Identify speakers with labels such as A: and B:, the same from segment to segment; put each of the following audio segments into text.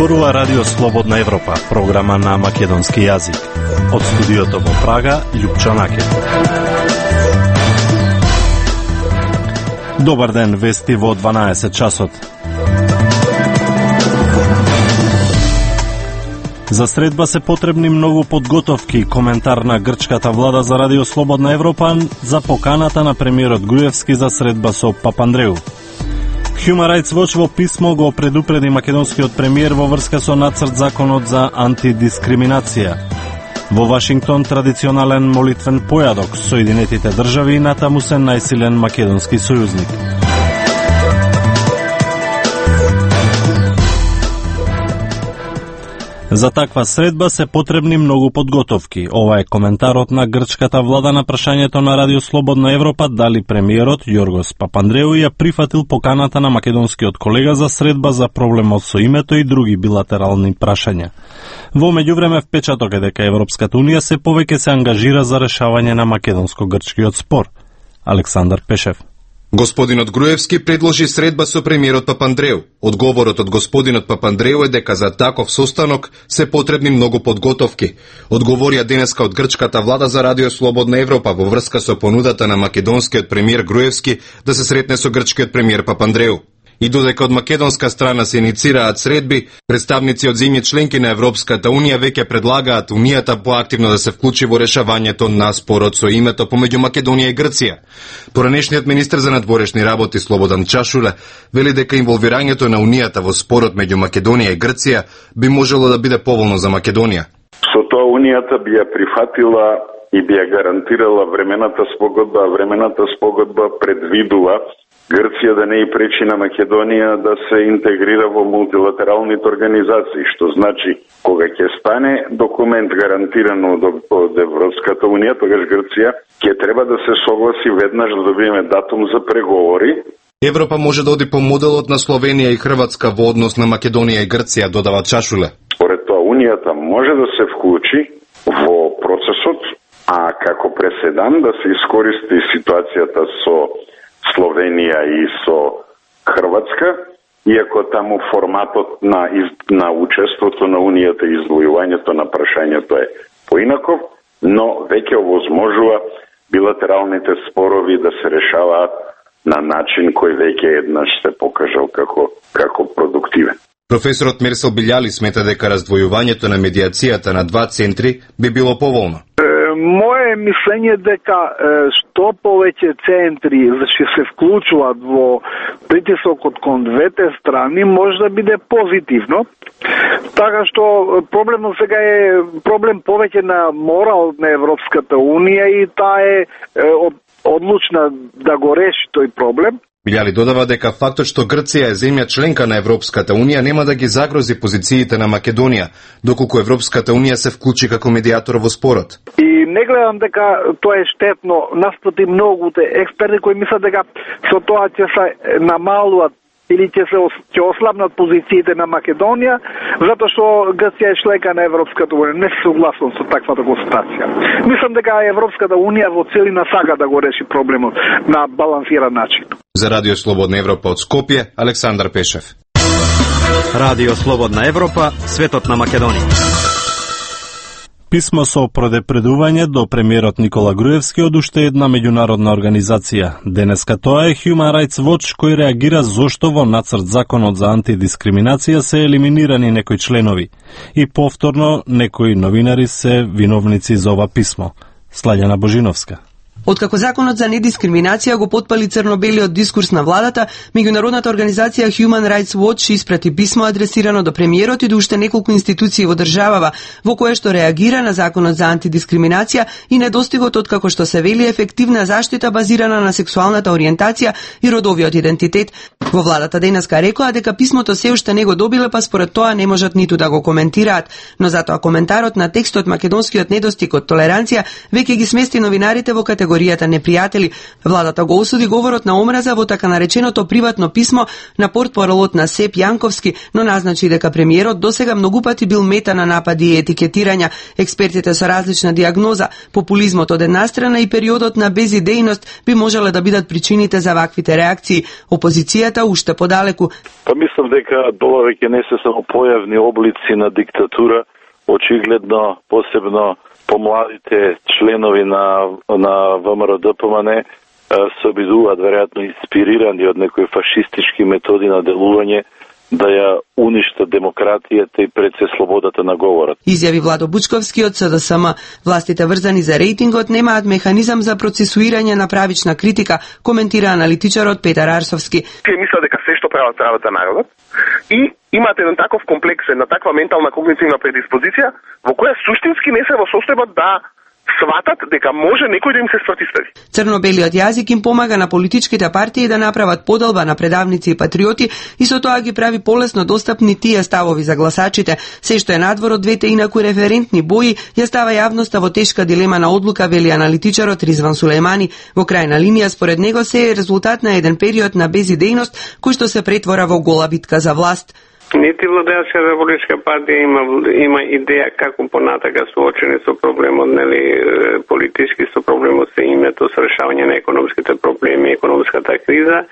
A: зборува Радио Слободна Европа, програма на македонски јазик. Од студиото во Прага, Љупчо Накет. Добар ден, вести во 12 часот. За средба се потребни многу подготовки. Коментар на грчката влада за Радио Слободна Европа за поканата на премиерот Груевски за средба со Папандреу. Human Rights Watch во писмо го предупреди македонскиот премиер во врска со нацрт законот за антидискриминација. Во Вашингтон традиционален молитвен појадок, Соединетите држави натаму се најсилен македонски сојузник. За таква средба се потребни многу подготовки. Ова е коментарот на грчката влада на прашањето на Радио Слободна Европа дали премиерот Јоргос Папандреу ја прифатил поканата на македонскиот колега за средба за проблемот со името и други билатерални прашања. Во меѓувреме впечаток е дека Европската унија се повеќе се ангажира за решавање на македонско-грчкиот спор. Александар Пешев.
B: Господинот Груевски предложи средба со премиерот Папандреу. Одговорот од господинот Папандреу е дека за таков состанок се потребни многу подготовки. Одговорија денеска од грчката влада за Радио Слободна Европа во врска со понудата на македонскиот премиер Груевски да се сретне со грчкиот премиер Папандреу. И додека од македонска страна се иницираат средби, представници од земји членки на Европската унија веќе предлагаат унијата поактивно да се вклучи во решавањето на спорот со името помеѓу Македонија и Грција. Поранешниот министер за надворешни работи Слободан Чашуле вели дека инволвирањето на унијата во спорот меѓу Македонија и Грција би можело да биде поволно за Македонија.
C: Со тоа унијата би ја прифатила и би ја гарантирала времената спогодба, а времената спогодба предвидува Грција да не и пречи на Македонија да се интегрира во мултилатералните организации, што значи кога ќе стане документ гарантиран од Европската унија, тогаш Грција ќе треба да се согласи веднаш да добиеме датум за преговори.
B: Европа може да оди по моделот на Словенија и Хрватска во однос на Македонија и Грција, додава Чашуле.
C: Според тоа унијата може да се вклучи во процесот, а како преседан да се искористи ситуацијата со Словенија и со Хрватска, иако таму форматот на учеството на Унијата и издвојувањето на прашањето е поинаков, но веќе овозможува билатералните спорови да се решаваат на начин кој веќе еднаш се покажал како продуктивен.
B: Професорот Мерсел Билјали смета дека раздвојувањето на медијацијата на два центри би било поволно.
D: Моje мислење дека што повеќе центри ќе се вклучуваат во притисокот кон двете страни може да биде позитивно. Така што проблемот сега е проблем повеќе на морал на Европската унија и таа е одлучна да го реши тој проблем.
B: Билјали додава дека фактот што Грција е земја членка на Европската унија нема да ги загрози позициите на Македонија, доколку Европската унија се вклучи како медијатор во спорот.
D: И не гледам дека тоа е штетно, наспроти многуте експерти кои мислат дека со тоа ќе се намалуваат или ќе ослабнат позициите на Македонија, затоа што Грција е членка на Европската унија. Не се согласувам со таквата констатација. Мислам дека Европската унија во целина сака да го реши проблемот на балансиран начин.
B: За Радио Слободна Европа од Скопје, Александар Пешев.
E: Радио Слободна Европа, светот на Македонија.
A: Писмо со предупредување до премиерот Никола Груевски од уште една меѓународна организација. Денеска тоа е Human Rights Watch кој реагира зошто во нацрт законот за антидискриминација се елиминирани некои членови. И повторно некои новинари се виновници за ова писмо. Слаѓана Божиновска.
F: Откако законот за недискриминација го потпали црно-белиот дискурс на владата, меѓународната организација Human Rights Watch испрати писмо адресирано до премиерот и до уште неколку институции во државава, во кое што реагира на законот за антидискриминација и недостигот откако што се вели ефективна заштита базирана на сексуалната ориентација и родовиот идентитет. Во владата денеска рекоа дека писмото се уште не го добиле, па според тоа не можат ниту да го коментираат, но затоа коментарот на текстот македонскиот недостиг од толеранција веќе ги смести новинарите во категорија категоријата непријатели. Владата го осуди говорот на омраза во така нареченото приватно писмо на портпаролот на СЕП Јанковски, но назначи дека премиерот досега многу пати бил мета на напади и етикетирања. Експертите со различна диагноза, популизмот од една страна и периодот на безидејност би можеле да бидат причините за ваквите реакции. Опозицијата уште подалеку.
G: Па мислам дека ова веќе не се само појавни облици на диктатура, очигледно посебно помладите членови на ВМРО-ДПМН се обидуваат веројатно инспирирани од некои фашистички методи на делување да ја уништат демократијата и пред се слободата на говорот.
F: Изјави Владо Бучковски од СДСМ. Властите врзани за рейтингот немаат механизам за процесуирање на правична критика, коментира аналитичарот Петар Арсовски.
H: Тие мислат дека се што прават народот и имаат еден таков комплекс, една таква ментална когнитивна предиспозиција во која суштински не се во состојба да сватат дека може некој да им се спротивстави.
F: Црно-белиот јазик им помага на политичките партии да направат поделба на предавници и патриоти и со тоа ги прави полесно достапни тие ставови за гласачите. Се што е надвор од двете инаку референтни бои, ја става јавноста во тешка дилема на одлука, вели аналитичарот Ризван Сулејмани. Во крајна линија, според него, се е резултат на еден период на безидејност кој што се претвора во гола битка за власт.
I: Нити владеачката политичка партија има идеја како понатака соочени со проблемот, нели, политички со проблемот се името со решавање на економските проблеми, економската криза,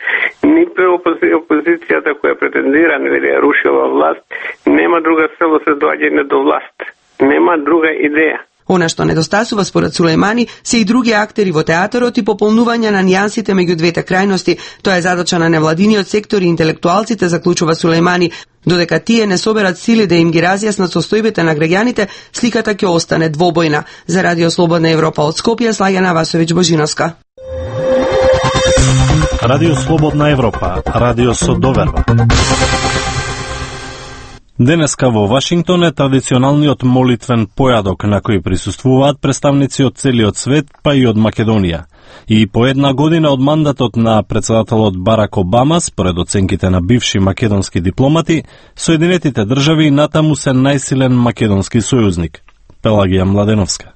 I: ниту опозицијата која претендира, нели, да ја рушила власт, нема друга цел се доаѓање до власт. Нема друга идеја.
F: Она што недостасува според Сулејмани се и други актери во театарот и пополнување на нијансите меѓу двете крајности. Тоа е задача на невладиниот сектор и интелектуалците, заклучува Сулејмани. Додека тие не соберат сили да им ги разјаснат состојбите на граѓаните, сликата ќе остане двобојна. За Радио Слободна Европа од Скопје, Слаѓана Васовиќ Божиновска.
A: Радио Слободна Европа, радио со доверба. Денеска во Вашингтон е традиционалниот молитвен појадок на кој присуствуваат представници од целиот свет, па и од Македонија. И по една година од мандатот на председателот Барак Обама, според оценките на бивши македонски дипломати, Соединетите држави натаму се најсилен македонски сојузник. Пелагија Младеновска.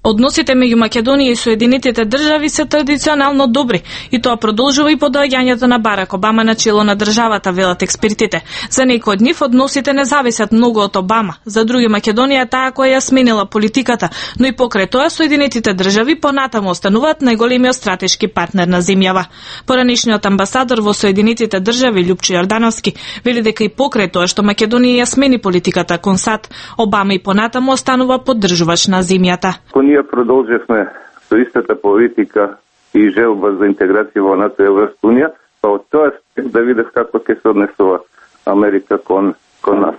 J: Односите меѓу Македонија и Соединетите држави се традиционално добри и тоа продолжува и по доаѓањето на Барак Обама на чело на државата, велат експертите. За некои од нив односите не зависат многу од Обама, за други Македонија таа која ја сменила политиката, но и покрај тоа Соединетите држави понатаму остануваат најголемиот стратешки партнер на земјава. Поранишниот амбасадор во Соединетите држави Љупчо Јордановски вели дека и покрај тоа што Македонија ја смени политиката кон САД, Обама и понатаму останува поддржувач на земјата.
K: Ние продолжевме со истата политика и желба за интеграција во НАТО и Европска унија, па од тоа да видев како ќе се однесува Америка кон нас.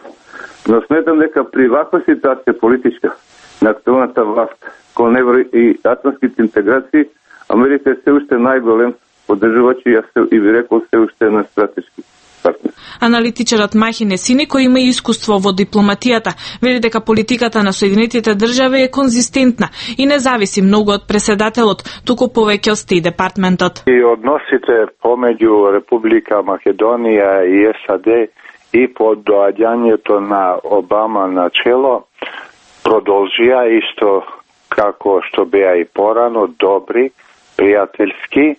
K: Но сметам дека при ваква ситуација политичка на актуелната власт кон евро и атлантските интеграции, Америка е се уште најголем поддржувач и би рекол се уште на стратешки партнер.
J: Аналитичарот Махи Несини, кој има искуство во дипломатијата, вели дека политиката на Соединетите држави е конзистентна и не зависи многу од преседателот, туку повеќе од Стејт департментот.
G: И односите помеѓу Република Македонија и САД и по доаѓањето на Обама на чело продолжија исто како што беа и порано, добри, пријателски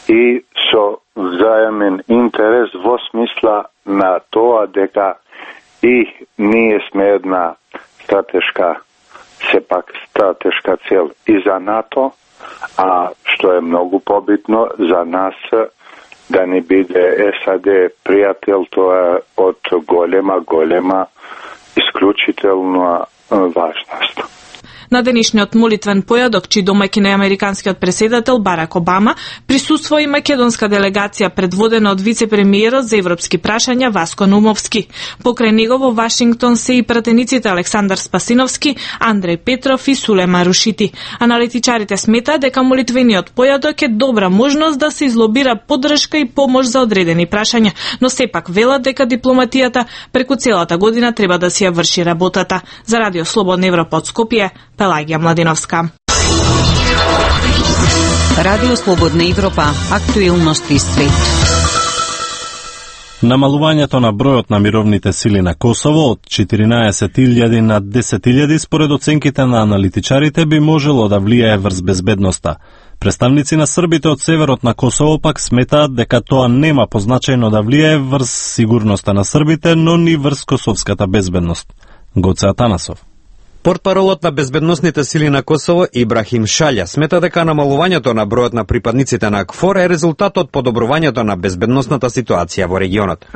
G: и со взаемен интерес во смисла на тоа дека и ние сме една стратешка цел и за НАТО, а што е многу побитно за нас да не биде САД пријател, тоа од голема исклучителна важност.
J: На денешниот молитвен појадок, чиј домаќин е американскиот преседател Барак Обама, присуствува и македонска делегација предводена од вице-премиерот за европски прашања Васко Нумовски. Покрај него во Вашингтон се и пратениците Александар Спасиновски, Андреј Петров и Сулема Рушити. Аналитичарите сметаат дека молитвениот појадок е добра можност да се излобира поддршка и помош за одредени прашања, но сепак велат дека дипломатијата преку целата година треба да си ја врши работата. За Радио Слободна Европа од Скопје, Пелагија Младиновска.
L: Радио Слободна Европа, актуелности свет.
A: Намалувањето на бројот на мировните сили на Косово од 14.000 на 10.000 според оценките на аналитичарите би можело да влијае врз безбедноста. Представници на србите од северот на Косово пак сметаат дека тоа нема позначајно да влијае врз сигурноста на србите, но ни врз косовската безбедност. Гоце Атанасов.
E: Портпаролот на безбедносните сили на Косово Ибрахим Шалја смета дека намалувањето на бројот на припадниците на КФОР е резултат од подобрувањето на безбедносната ситуација во регионот.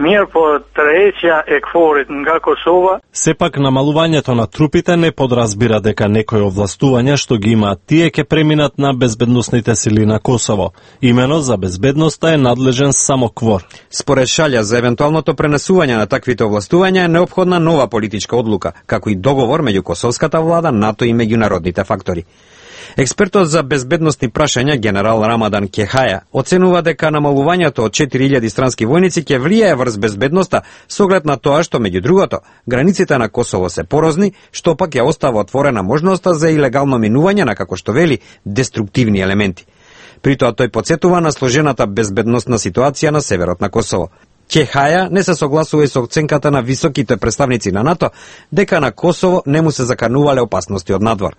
A: Сепак намалувањето на трупите не подразбира дека некои овластувања што ги имаат тие ќе преминат на безбедносните сили на Косово. Имено за безбедноста е надлежен само КФОР.
E: Според Шалја, за евентуалното пренесување на таквите овластувања е неопходна нова политичка одлука, како и договор меѓу косовската влада, НАТО и меѓународните фактори. Експертот за безбедносни прашања генерал Рамадан Кехаја оценува дека намалувањето од 4000 странски војници ќе влијае врз безбедноста со оглед на тоа што меѓу другото границите на Косово се порозни, што пак ја остава отворена можноста за илегално минување на, како што вели, деструктивни елементи. При тоа тој потсетува на сложената безбедносна ситуација на северот на Косово. Кехаја не се согласува и со оценката на високите представници на НАТО дека на Косово не му се заканувале опасности од надвор.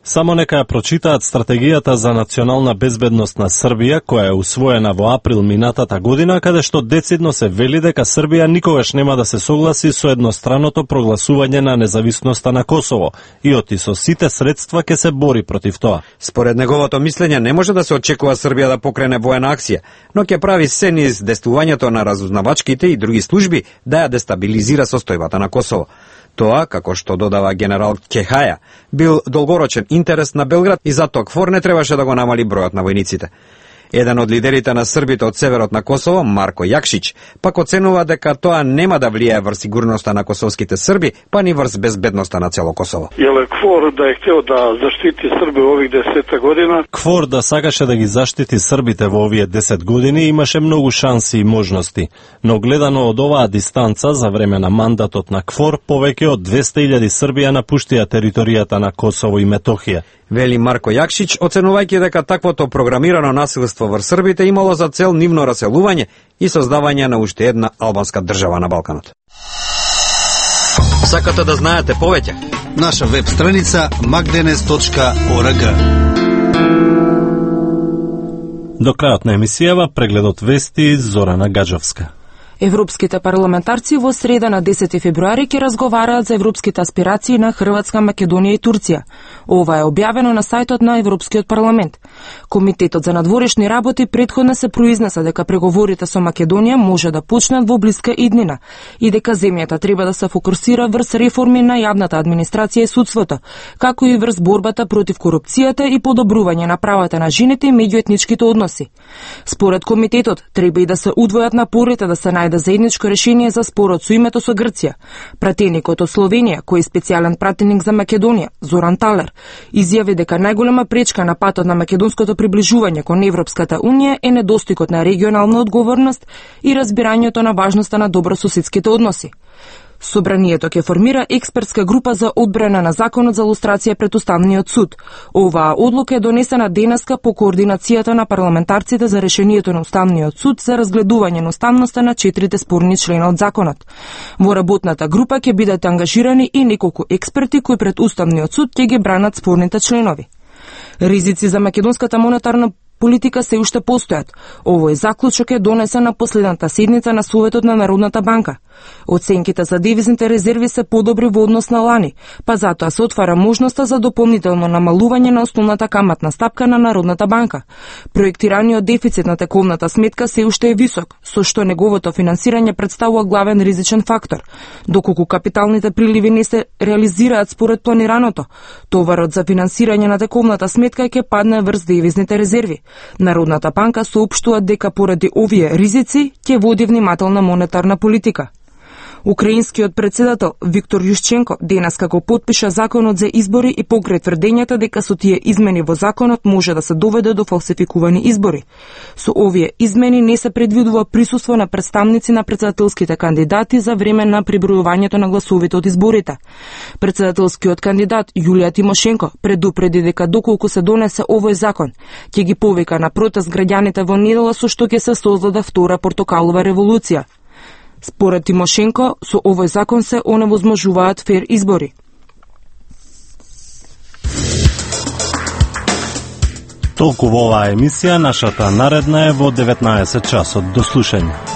A: Само нека ја прочитаат стратегијата за национална безбедност на Србија, која е усвоена во април минатата година, каде што децидно се вели дека Србија никогаш нема да се согласи со едностранното прогласување на независноста на Косово и оти со сите средства ќе се бори против тоа.
E: Според неговото мислење не може да се очекува Србија да покрене воена акција, но ќе прави се низ действувањето на разузнавачките и други служби да ја дестабилизира состојбата на Косово. Тоа, како што додава генерал Кехаја, бил долгорочен интерес на Белград и затоа КФОР не требаше да го намали бројот на војниците. Еден од лидерите на србите од северот на Косово, Марко Јакшич, пак оценува дека тоа нема да влијае врз сигурноста на косовските срби, па ни врз безбедноста на цело Косово.
M: Јеле КФОР да е хтео да заштити Срби во ових 10 година?
A: КФОР да сакаше да ги заштити србите во овие 10 години имаше многу шанси и можности, но гледано од оваа дистанца за време на мандатот на КФОР, повеќе од 200.000 срби ја напуштија територијата на Косово и Метохија.
E: Вели Марко Јакшич, оценувајќи дека таквото програмирано насилство врз србите имало за цел нивно раселување и создавање на уште една албанска држава на Балканот. Сакате да знаете повеќе?
N: Наша веб страница magdenes.org.
A: До крајот на емисијава прегледот вести Зорана Гаджовска.
O: Европските парламентарци во среда на 10 февруари ќе разговараат за европските аспирации на Хрватска, Македонија и Турција. Ова е објавено на сајтот на Европскиот парламент. Комитетот за надворешни работи претходно се произнеса дека преговорите со Македонија може да почнат во блиска иднина и дека земјата треба да се фокусира врз реформи на јавната администрација и судството, како и врз борбата против корупцијата и подобрување на правата на жените и меѓуетничките односи. Според комитетот треба и да се удвојат напорите да се најде заедничко решение за спорот со името со Грција. Пратеникот од Словенија, кој е специјален пратеник за Македонија, Зоран Талер, изјави дека најголема пречка на патот на македонското приближување кон Европската унија е недостигот на регионална одговорност и разбирањето на важноста на добрососедските односи. Собранието ќе формира експертска група за одбрана на законот за лустрација пред Уставниот суд. Оваа одлука е донесена денеска по координацијата на парламентарците за решението на Уставниот суд за разгледување на уставноста на 4 спорни члена од законот. Во работната група ќе бидат ангажирани и неколку експерти кои пред Уставниот суд ќе ги бранат спорните членови. Ризици за македонската монетарна политика се уште постојат. Овој заклучок е донесен на последната седница на Советот на Народната банка. Оценките за девизните резерви се подобри во однос на лани, па затоа се отвара можноста за дополнително намалување на основната каматна стапка на Народната банка. Проектираниот дефицит на тековната сметка се уште е висок, со што неговото финансирање представува главен ризичен фактор. Доколку капиталните приливи не се реализираат според планираното, товарот за финансирање на тековната сметка ќе падне врз девизните резерви. Народната банка соопштува дека поради овие ризици ќе води внимателна монетарна политика. Украинскиот председател Виктор Јушченко денеска го потпиша законот за избори и покрај тврдењата дека со тие измени во законот може да се доведе до фалсификувани избори. Со овие измени не се предвидува присуство на представници на председателските кандидати за време на прибројувањето на гласовите од изборите. Председателскиот кандидат Јулија Тимошенко предупреди дека доколку се донесе овој закон, ќе ги повика на протест граѓаните во недела со што ќе се создаде втора портокалова револуција. Според Тимошенко, со овој закон се оневозможуваат фер избори.
A: Толку во оваа емисија, нашата наредна е во 19 часот. До слушање.